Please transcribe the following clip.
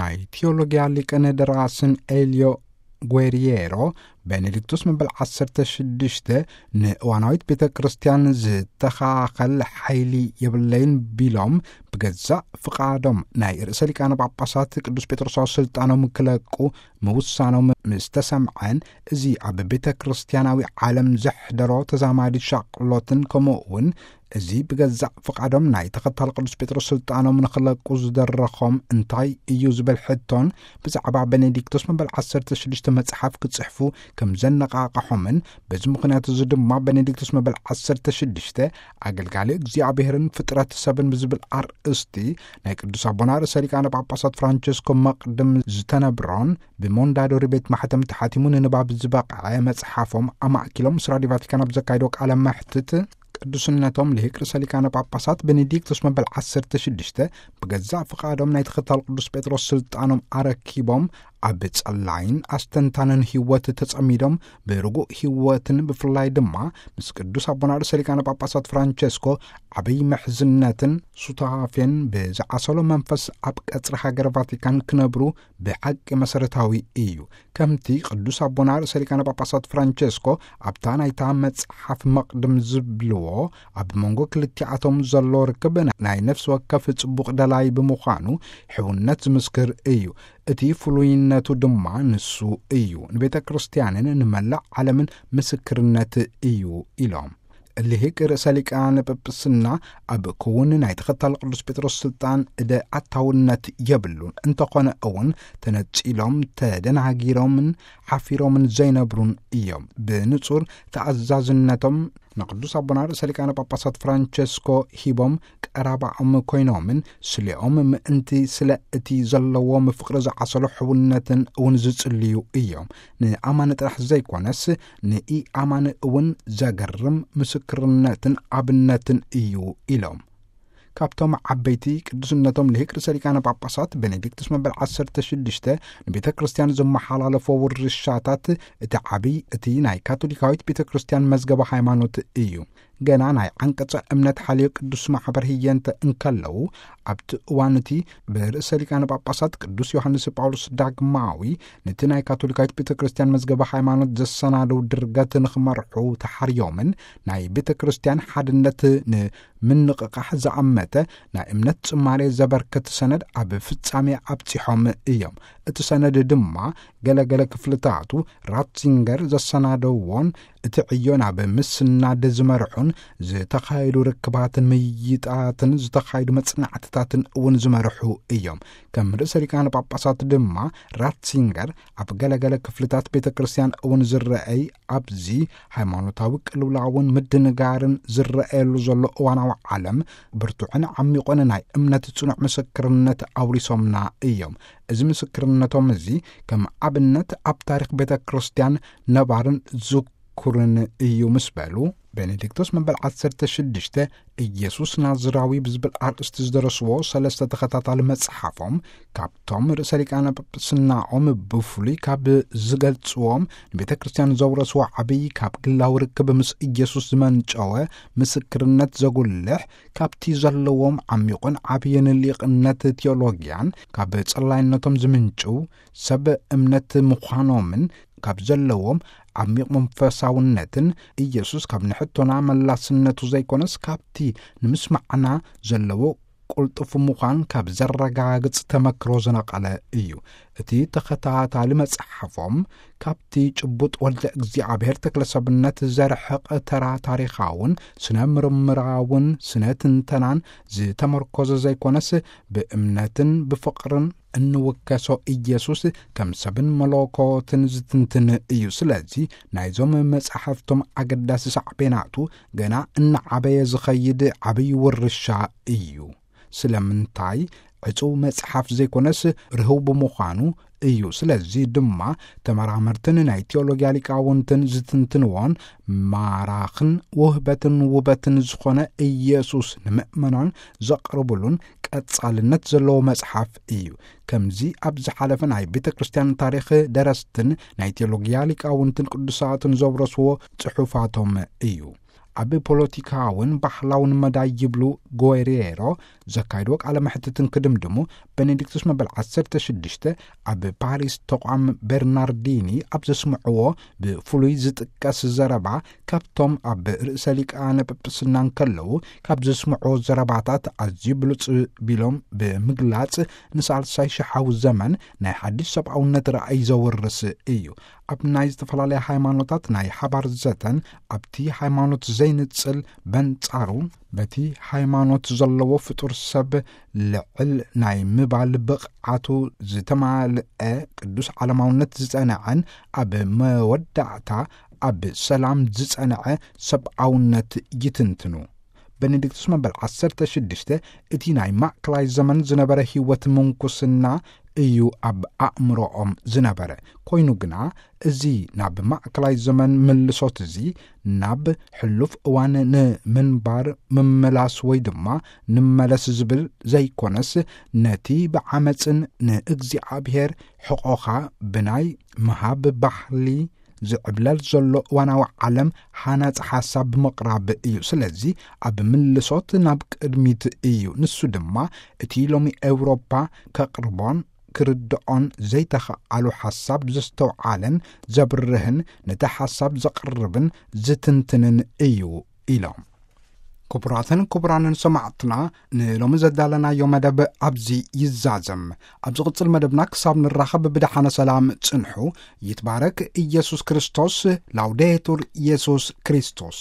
ናይ ቴዎሎጊያ ሊቅን ደራስን ኤልዮ ጓሪየሮ፣ ቤኔዲክቱስ መበል ዓሰርተ ሽዱሽተ ንእዋናዊት ቤተ ክርስቲያን ዝተኻኸል ሓይሊ የብለይን ቢሎም፣ ብገዛእ ፍቓዶም ናይ ርእሰ ሊቃነ ጳጳሳት ቅዱስ ጴጥሮሳዊ ስልጣኖም ክለቁ ምውሳኖም ምስ ተሰምዐን፣ እዚ ኣብ ቤተ ክርስቲያናዊ ዓለም ዘሕደሮ ተዛማዲ ሻቕሎትን፣ ከምኡ እውን እዚ ብገዛእ ፍቓዶም ናይ ተኸታል ቅዱስ ጴጥሮስ ስልጣኖም ንኽለቁ ዝደረኾም እንታይ እዩ ዝብል ሕቶን፣ ብዛዕባ ቤኔዲክቶስ መበል ዓሰርተ ሽዱሽተ መጽሓፍ ክጽሕፉ ከም ዘነቓቕሖምን፣ በዚ ምኽንያት እዚ ድማ ቤኔዲክቶስ መበል ዓሰርተ ሽዱሽተ ኣገልጋሊ እግዚኣብሔርን ፍጥረት ሰብን ብዝብል ኣርእስቲ ናይ ቅዱስ ኣቦና ርእሰ ሊቃነ ጳጳሳት ፍራንቸስኮ መቕድም ዝተነብሮን ብሞንዳዶሪ ቤት ማሕተም ተሓቲሙ ንንባብ ዝበቕዐ መጽሓፎም ኣማእኪሎም ምስ ራዲዮ ቫቲካን ኣብ ዘካየዶ ቃለ መሕትት፣ ቅዱስነቶም ልሂቅ ርእሰ ሊቃነ ጳጳሳት ቤኔዲክቶስ መበል ዓሰርተ ሽዱሽተ ብገዛእ ፍቓዶም ናይ ተኸታል ቅዱስ ጴጥሮስ ስልጣኖም ኣረኪቦም፣ ኣብ ጸላይን ኣስተንታንን ህይወት ተጸሚዶም፣ ብርጉእ ህይወትን ብፍላይ ድማ ምስ ቅዱስ ኣቦና ርእሰ ሊቃነ ጳጳሳት ፍራንቸስኮ ዓብይ ምሕዝነትን ሱታፌን ብዝዓሰሎ መንፈስ ኣብ ቀጽሪ ሃገር ቫቲካን ክነብሩ ብሓቂ መሰረታዊ እዩ። ከምቲ ቅዱስ ኣቦና ርእሰ ሊቃነ ጳጳሳት ፍራንቸስኮ ኣብታ ናይታ መጽሓፍ መቕድም ዝብልዎ፣ ኣብ መንጎ ክልቲኣቶም ዘሎ ርክብ ናይ ነፍሲ ወከፍ ጽቡቕ ደላይ ብምዃኑ ሕውነት ዝምስክር እዩ። እቲ ፍሉይነቱ ድማ ንሱ እዩ። ንቤተ ክርስቲያንን ንመላእ ዓለምን ምስክርነት እዩ ኢሎም። ልሂቅ ርእሰ ሊቃነ ጳጳስና ኣብ ክውን ናይ ተኸታል ቅዱስ ጴጥሮስ ስልጣን እደ ኣታውነት የብሉን። እንተኾነ እውን ተነጺሎም፣ ተደናጊሮምን ሓፊሮምን ዘይነብሩን እዮም። ብንጹር ተኣዛዝነቶም ንቅዱስ ኣቦና ርእሰ ሊቃነ ጳጳሳት ፍራንቸስኮ ሂቦም ቀራባኦም ኮይኖምን፣ ስሌኦም ምእንቲ ስለ እቲ ዘለዎም ፍቕሪ ዝዓሰሎ ሕውነትን እውን ዝጽልዩ እዮም። ንኣማኒ ጥራሕ ዘይኮነስ ንኢኣማኒ እውን ዘገርም ምስክርነትን ኣብነትን እዩ ኢሎም። ካብቶም ዓበይቲ ቅዱስነቶም ልሂቅ ርእሰ ሊቃነ ጳጳሳት ቤኔዲክቱስ መበል ዓሰርተ ሽዱሽተ ንቤተ ክርስቲያን ዘመሓላለፎ ውርሻታት እቲ ዓብይ፣ እቲ ናይ ካቶሊካዊት ቤተ ክርስቲያን መዝገበ ሃይማኖት እዩ። ገና ናይ ዓንቀጸ እምነት ሓልዮ ቅዱስ ማሕበር ህየንተ እንከለዉ፣ ኣብቲ እዋን እቲ ብርእሰ ሊቃነ ጳጳሳት ቅዱስ ዮሃንስ ጳውሎስ ዳግማዊ ነቲ ናይ ካቶሊካዊት ቤተ ክርስቲያን መዝገበ ሃይማኖት ዘሰናደው ድርገት ንኽመርሑ ተሓርዮምን፣ ናይ ቤተ ክርስቲያን ሓድነት ንምንቕቓሕ ዝኣመተ ናይ እምነት ጽማሬ ዘበርክት ሰነድ ኣብ ፍጻሜ ኣብጺሖም እዮም። እቲ ሰነድ ድማ ገለገለ ክፍልታቱ ራትዚንገር ዘሰናደዎን እቲ ዕዮ ናብ ምስናድ ዝመርሑን፣ ዝተኻየዱ ርክባትን ምይይጣትን ዝተኻየዱ መጽናዕትታትን እውን ዝመርሑ እዮም። ከም ርእሰ ሊቃነ ጳጳሳት ድማ ራትዚንገር ኣብ ገለገለ ክፍልታት ቤተ ክርስቲያን እውን ዝረአይ፣ ኣብዚ ሃይማኖታዊ ቅልውላውን ምድንጋርን ዝረአየሉ ዘሎ እዋናዊ ዓለም፣ ብርቱዕን ዓሚቑን ናይ እምነት ጽኑዕ ምስክርነት ኣውሪሶምና እዮም። እዚ ምስክርነቶም እዚ ከም ኣብነት ኣብ ታሪኽ ቤተ ክርስቲያን ነባርን ዝኩርን እዩ ምስ በሉ፣ ቤኔዲክቶስ መበል ዓሰርተ ሽዱሽተ ኢየሱስ ናዝራዊ ብዝብል ኣርእስቲ ዝደረስዎ ሰለስተ ተኸታታሊ መጽሓፎም፣ ካብቶም ርእሰ ሊቃነ ጳጳስናኦም ብፍሉይ ካብ ዝገልጽዎም፣ ንቤተ ክርስቲያን ዘውረስዎ ዓብዪ ካብ ግላዊ ርክብ ምስ ኢየሱስ ዝመንጨወ ምስክርነት ዘጉልሕ፣ ካብቲ ዘለዎም ዓሚቑን ዓብይን ሊቕነት ቴዎሎጊያን፣ ካብ ጸላይነቶም ዝምንጭው ሰብ እምነት ምዃኖምን፣ ካብ ዘለዎም ዓሚቕ መንፈሳውነትን፣ ኢየሱስ ካብ ንሕቶና መላስነቱ ዘይኮነስ ካብቲ ንምስማዕና ዘለዎ ቅልጡፍ ምዃን ካብ ዘረጋግጽ ተመክሮ ዝነቐለ እዩ። እቲ ተኸታታሊ መጽሓፎም፣ ካብቲ ጭቡጥ ወልደ እግዚኣብሔር ተክለሰብነት ዘርሕቕ ተራ ታሪኻውን ስነ ምርምራውን ስነ ትንተናን ዝተመርኮዘ ዘይኮነስ፣ ብእምነትን ብፍቕርን እንውከሶ ኢየሱስ ከም ሰብን መለኮትን ዝትንትን እዩ። ስለዚ ናይዞም መጻሕፍቶም ኣገዳሲ ሳዕቤናቱ ገና እናዓበየ ዝኸይድ ዓብዪ ውርሻ እዩ። ስለምንታይ? ዕጹው መጽሓፍ ዘይኮነስ ርህው ብምዃኑ እዩ። ስለዚ ድማ ተመራመርትን ናይ ቴዎሎጊያ ሊቃውንትን ዝትንትንዎን ማራኽን ውህበትን ውበትን ዝኾነ ኢየሱስ ንምእመናን ዘቕርብሉን ቀጻልነት ዘለዎ መጽሓፍ እዩ። ከምዚ ኣብ ዝሓለፈ ናይ ቤተ ክርስቲያን ታሪኽ ደረስትን ናይ ቴዎሎጊያ ሊቃውንትን ቅዱሳትን ዘውረስዎ ጽሑፋቶም እዩ። ኣብ ፖለቲካውን ባህላውን መዳይ ይብሉ ጎሬሮ፣ ዘካይድዎ ቃለ መሕትትን ክድምድሙ፣ ቤኔዲክቱስ መበል ዓሰርተ ሽዱሽተ ኣብ ፓሪስ ተቋም ቤርናርዲኒ ኣብ ዘስምዕዎ ብፍሉይ ዝጥቀስ ዘረባ፣ ካብቶም ኣብ ርእሰ ሊቃነ ጳጳስና እንከለዉ ካብ ዘስምዕዎ ዘረባታት ኣዝዩ ብሉጽ ቢሎም ብምግላጽ፣ ንሳልሳይ ሽሓዊ ዘመን ናይ ሓድሽ ሰብኣውነት ራእይ ዘውርስ እዩ። ኣብ ናይ ዝተፈላለያ ሃይማኖታት ናይ ሓባር ዘተን፣ ኣብቲ ሃይማኖት ዘይንጽል በንጻሩ በቲ ሃይማኖት ዘለዎ ፍጡር ሰብ ልዕል ናይ ምባል ብቕዓቱ ዝተማልአ ቅዱስ ዓለማውነት ዝጸንዐን፣ ኣብ መወዳእታ ኣብ ሰላም ዝጸንዐ ሰብኣውነት ይትንትኑ። ቤኔዲክቱስ መበል ዓሰርተ ሽዱሽተ እቲ ናይ ማእከላይ ዘመን ዝነበረ ህይወት ምንኩስና እዩ ኣብ ኣእምሮኦም ዝነበረ። ኮይኑ ግና፣ እዚ ናብ ማእከላይ ዘመን ምልሶት እዚ ናብ ሕሉፍ እዋን ንምንባር ምምላስ ወይ ድማ ንመለስ ዝብል ዘይኮነስ፣ ነቲ ብዓመጽን ንእግዚኣብሔር ሕቖኻ ብናይ ምሃብ ባህሊ ዝዕብለል ዘሎ እዋናዊ ዓለም ሃናጺ ሓሳብ ብምቕራብ እዩ። ስለዚ ኣብ ምልሶት ናብ ቅድሚት እዩ። ንሱ ድማ እቲ ሎሚ ኤውሮፓ ከቕርቦን ክርድኦን ዘይተኸኣሉ ሓሳብ ዘስተውዓለን ዘብርህን፣ ነቲ ሓሳብ ዘቕርብን ዝትንትንን እዩ ኢሎም። ክቡራትን ክቡራንን ሰማዕትና፣ ንሎሚ ዘዳለናዮ መደብ ኣብዚ ይዛዘም። ኣብ ዝቕጽል መደብና ክሳብ ንራኸብ ብደሓነ ሰላም ጽንሑ። ይትባረክ ኢየሱስ ክርስቶስ። ላውዴቱር ኢየሱስ ክርስቶስ።